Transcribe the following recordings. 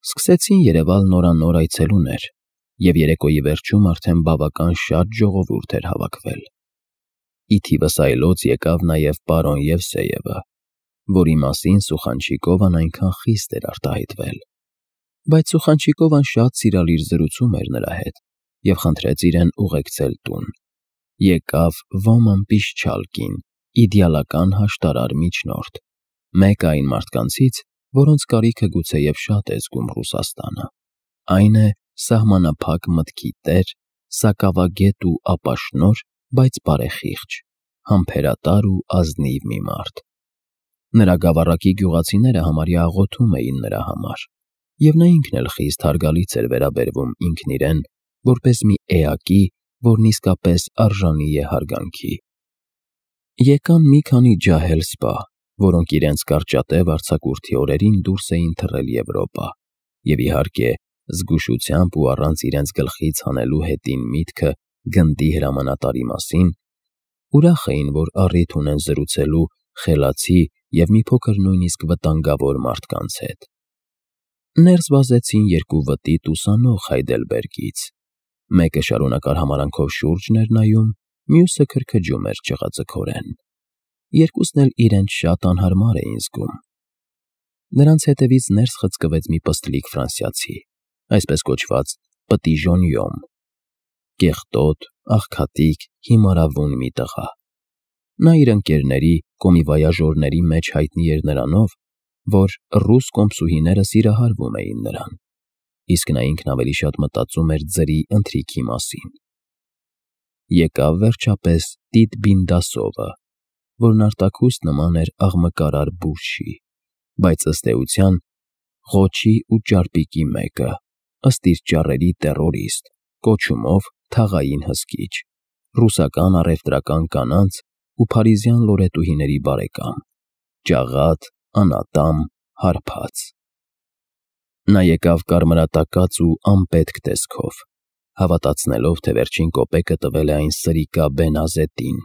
Սկսեցին երևալ նորանոր այցելուներ, և երեկոյի վերջում արդեն բավական շատ ժողովուրդ էր հավաքվել։ Ի թիվս այլոց եկավ նաև պարոն Եվսեևը, որի մասին Սուխանչիկովան այնքան խիստ էր արտահայտվել, բայց Սուխանչիկովան շատ սիրալիր զրուցում էր նրա հետ և խնդրեց իրեն ուղեկցել տուն։ Եկավ Ոման Պիշչալկին, իդեալական հաշտարար միջնորդ, մեկը այն մարդկանցից, որոնց կարիքը գուցեև շատ է զգում Ռուսաստանը, այն է սահմանափակ մտքի տեր, սակավագետ ու ապաշնորհ, բայց բարեխիղճ, համբերատար ու ազնիվ մի մարդ։ Նրա գավառակի գյուղացիները համարյա աղոթում էին նրա համար, և նա ինքն էլ խիստ հարգալից էր վերաբերվում ինքն իրեն, որպես մի էակի, որն իսկապես արժանի է հարգանքի։ Եկան մի քանի ջահել սպա, որոնք իրենց կարճատև արձակուրդի օրերին դուրս էին թռել Եվրոպա, և իհարկե, զգուշությամբ ու առանց իրենց գլխից հանելու հետին միտքը գնդի հրամանատարի մասին, ուրախ էին, որ առիթ ունեն զրուցելու խելացի և մի փոքր նույնիսկ վտանգավոր մարդկանց հետ։ Ներս վազեցին երկու վտիտ ուսանող Հայդելբերգից, մեկը շարունակար համարանքով շուրջն էր նայում, մյուսը քրքջում էր ճղածքորեն։ Երկուսն էլ իրենց շատ անհարմար էին զգում։ Նրանց հետևից ներս խցկվեց մի պստլիկ ֆրանսիացի, այսպես կոչված պտիժոնյոմ, կեղտոտ, աղքատիկ, հիմարավուն մի տղա։ Նա իր ընկերների, կոմիվոյաժորների մեջ հայտնի էր նրանով, որ ռուս կոմսուհիները սիրահարվում էին նրան, իսկ նա ինքն ավելի շատ մտածում էր ձրի ընթրիքի մասին։ Եկավ վերջապես Տիտ Բինդասովը, որն արտաքուստ նման էր աղմկարար բուրշի, բայց ըստ էության ղոչի ու ճարպիկի մեկը, ըստ իր ճառերի տեռորիստ, կոչումով թաղային հսկիչ, ռուսական առևտրական կանանց ու փարիզյան լորետուհիների բարեկամ, ճաղատ, անատամ, հարբած։ Նա եկավ կարմրատակած ու անպետք տեսքով, հավատացնելով, թե վերջին կոպեկը տվել է այն սրիկա Բենազետին,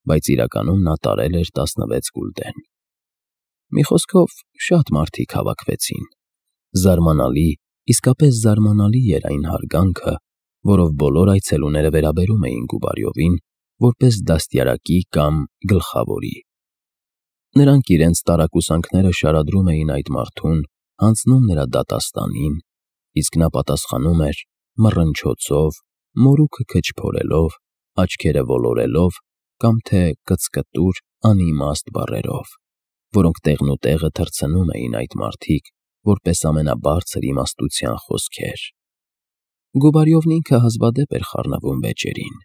բայց իրականում նա տարել էր 16 գուլդեն։ Մի խոսքով, շատ մարդիկ հավաքվեցին։ Զարմանալի, իսկապես զարմանալի էր այն հարգանքը, որով բոլոր այցելուները վերաբերում էին Գուբարյովին, որպես դաստիարակի կամ գլխավորի։ Նրանք իրենց տարակուսանքները շարադրում էին այդ մարդուն, հանձնում նրա դատաստանին, իսկ նա պատասխանում էր մռնչոցով, մորուքը քչփորելով, աչքերը ոլորելով կամ թե կծկտուր, անիմաստ բառերով, որոնք տեղնուտեղը թռցնում էին այդ մարդիկ, որպես ամենաբարձր իմաստության խոսքեր։ Գուբարյովն ինքը հազվադեպ էր խառնվում վեճերին,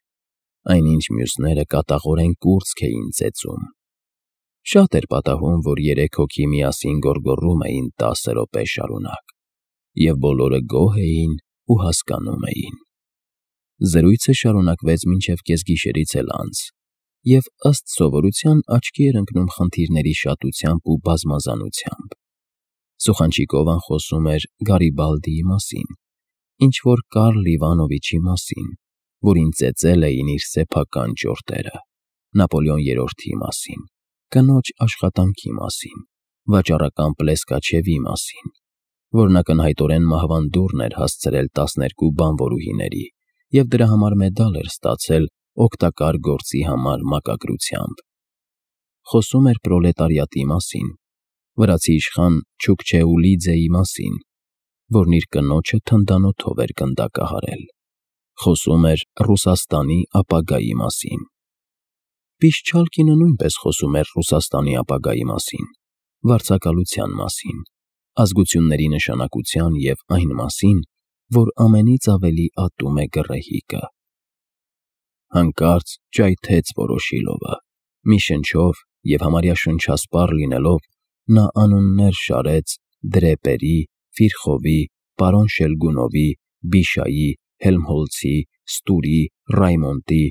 այնինչ մյուսները կատաղորեն կուրծք էին ծեծում։ Շատ էր պատահում, որ 3 հոգի միասին գոռգոռում էին 10 րոպե շարունակ, և բոլորը գոհ էին ու հասկանում էին։ Զրույցը շարունակվեց մինչև կեսգիշերից էլ անց, և ըստ սովորության աչքի էր ընկնում խնդիրների շատությամբ ու բազմազանությամբ։ Սուխանչիկովան խոսում էր Գարիբալդիի մասին, ինչ-որ Կարլ Իվանովիչի մասին, որին ծեծել էին իր սեփական ճորտերը, Նապոլեոն III-ի մասին, կնոջ աշխատանքի մասին, վաճառական Պլեսկաչևի մասին, որն ակնհայտորեն մահվան դուռն էր հասցրել 12 բանվորուհիների և դրա համար մեդալ էր ստացել օգտակար գործի համար մակագրությամբ։ Խոսում էր պրոլետարիատի մասին, վրացի իշխան Չուկչեուլիձեի մասին, որն իր կնոջը թնդանոթով էր գնդակահարել։ Խոսում էր Ռուսաստանի ապագայի մասին։ Պիշչալկինը նույնպես խոսում էր Ռուսաստանի ապագայի մասին, վարձակալության մասին, ազգությունների նշանակության և այն մասին, որ ամենից ավելի ատում է գռեհիկը։ Հանկարծ ճայթեց Վորոշիլովը, մի շնչով և համարյա շնչասպառ լինելով, նա անուններ շարեց Դրեպերի, Ֆիրխովի, պարոն Շելգունովի, Բիշայի, Հելմհոլցի, Ստուրի, Ռայմոնդի,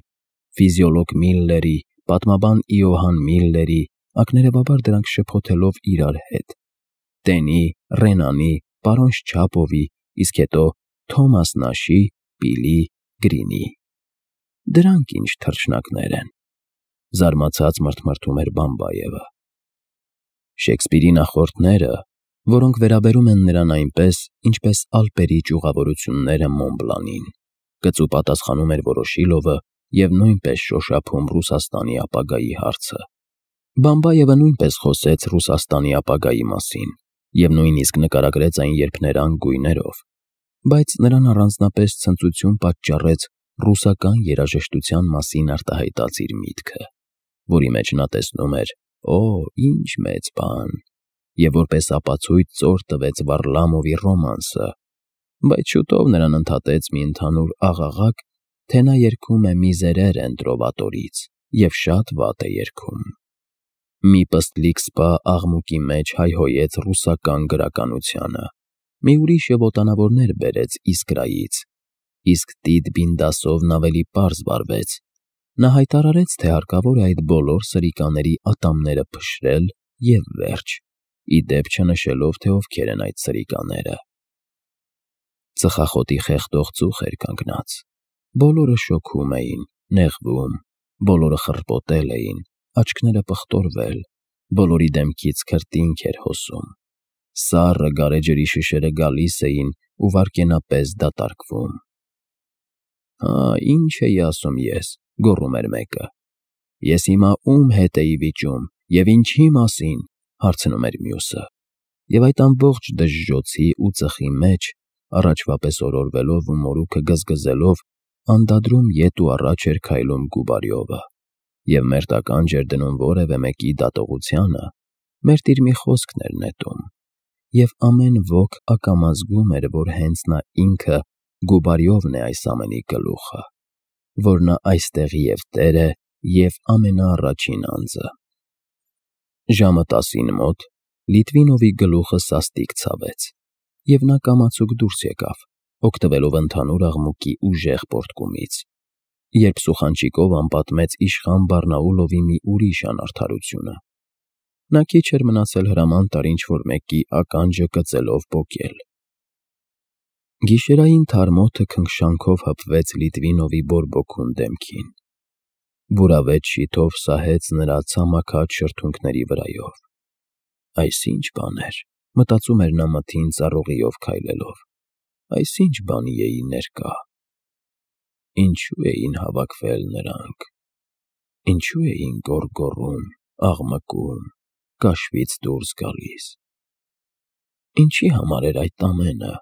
ֆիզիոլոգ Միլլերի, պատմաբան Իոհան Միլլերի, ակներևաբար դրանք շփոթելով իրար հետ, Տենի, Ռենանի, պարոն Շչապովի, իսկ հետո Թոմաս Նաշի, Պիլի, Գրինի։ Դրանք ինչ թռչնակներ են, զարմացած մռթմռթում էր Բամբայևը։ Շեքսպիրի նախորդները, որոնք վերաբերում են նրան այնպես, ինչպես Ալպերի ճյուղավորությունները Մոնբլանին, կծու պատասխանում էր Վորոշիլովը և նույնպես շոշափում Ռուսաստանի ապագայի հարցը։ Բամբաևը նույնպես խոսեց Ռուսաստանի ապագայի մասին և նույնիսկ նկարագրեց այն երփներանգ գույներով, բայց նրան առանձնապես ցնծություն պատճառեց ռուսական երաժշտության մասին արտահայտած իր միտքը, որի մեջ նա տեսնում էր «Օ, ինչ մեծ բան», և որպես ապացույց ծոր տվեց Վարլամովի ռոմանսը, բայց շուտով նրան ընդհատեց մի ընդհանուր աղաղակ, թե նա երգում է Միզերեր Տրովատորից և շատ վատ է երգում։ Մի պստլիկ սպա աղմուկի մեջ հայհոյեց ռուսական գրականությանը, մի ուրիշը ոտանավորներ բերեց Իսկրայից, իսկ Տիտ Բինդասովն ավելի պարզ վարվեց. նա հայտարարեց, թե հարկավոր է այդ բոլոր սրիկաների ատամները փշրել և վերջ, ի դեպ չնշելով, թե ովքեր են այդ սրիկաները։ Ծխախոտի խեղդող ծուխ էր կանգնած, բոլորը շոքում էին, նեղվում, բոլորը խռպոտել էին, աչքները պղտորվել, բոլորի դեմքից քրտինք էր հոսում, սառը գարեջրի շշերը գալիս էին ու վայրկենապես դատարկվում։ «Հա, ինչ էի ասում ես», գոռում էր մեկը։ «Ես հիմա ում հետ էի վիճում և ինչի մասին», հարցնում էր մյուսը, և այդ ամբողջ դժժոցի ու ծխի մեջ, առաջվա պես օրորվելով ու մորուքը գզգզելով, անդադրում ետ ու առաջ էր քայլում Գուբարյովը և մերթ ականջ էր դնում որևէ մեկի դատողությանը, մերթ իր մի խոսքն էր նետում, և ամեն ոք ակամա զգում էր, որ հենց նա ինքը Գուբարյովն է այս ամենի գլուխը, որ նա այստեղի և տեր է, և ամենաառաջին անձը։ Ժամը 10-ին մոտ Լիտվինովի գլուխը սաստիկ ցավեց, և նա կամացուկ դուրս եկավ, օգտվելով ընդհանուր աղմուկի ուժեղ պոռթկումից, երբ սուխանչիկով անպատմեց իշխան Բարնաուլովի մի ուրիշ անարդարությունը։ Նա քիչ էր մնացել հրաման տար ինչ-որ մեկի ականջը կծելով պոկել։ Գիշերային թարմ օդը քնքշանքով հպվեց Լիտվինովի բորբոքուն դեմքին, բուրավետ շիթով սահեց նրա ցամաքած շրթունքների վրայով։ Այս ի՞նչ բան էր, մտածում էր նա մթին ծառուղիով քայլելով, այս ի՞նչ բանի էի ներկա։ Ինչու էին հավաքվել նրանք, ինչու էին գոռգոռում, աղմկում, կաշվից դուրս գալիս, ինչի համար էր այդ ամենը։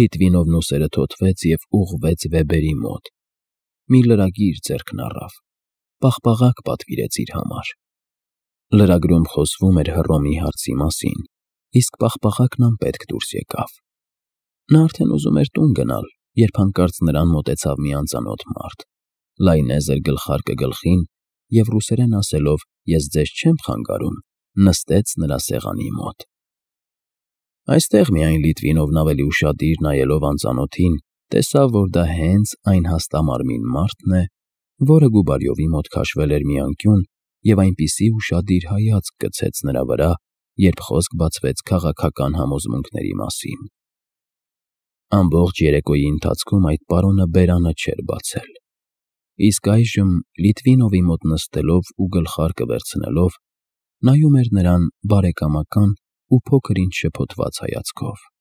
Լիտվինովն ուսերը թոթվեց և ուղղվեց Վեբերի մոտ, մի լրագիր ձեռքն առավ, պաղպաղակ պատվիրեց իր համար։ Լրագրում խոսվում էր Հռոմի հարցի մասին, իսկ պաղպաղակն անպետք դուրս եկավ։ Նա արդեն ուզում էր տուն գնալ, երբ հանկարծ նրան մոտեցավ մի անծանոթ մարդ, լայնեզր գլխարկը գլխին և ռուսերեն ասելով «Ես ձեզ չեմ խանգարում», նստեց նրա սեղանի մոտ։ Այստեղ միայն Լիտվինովն ավելի ուշադիր նայելով անծանոթին, տեսավ, որ դա հենց այն հաստամարմին մարդն է, որը Գուբարյովի մոտ քաշվել էր մի անկյուն և այնպիսի ուշադիր հայացք գցեց նրա վրա, երբ խոսք բացվեց քաղաքական համոզմունքների մասին։ Ամբողջ երեկոյի ընթացքում այդ պարոնը բերանը չէր բացել, իսկ այժմ Լիտվինովի մոտ նստելով ու գլխարկը վերցնելով, նայում էր նրան բարեկամական ու փոքր-ինչ շփոթված հայացքով։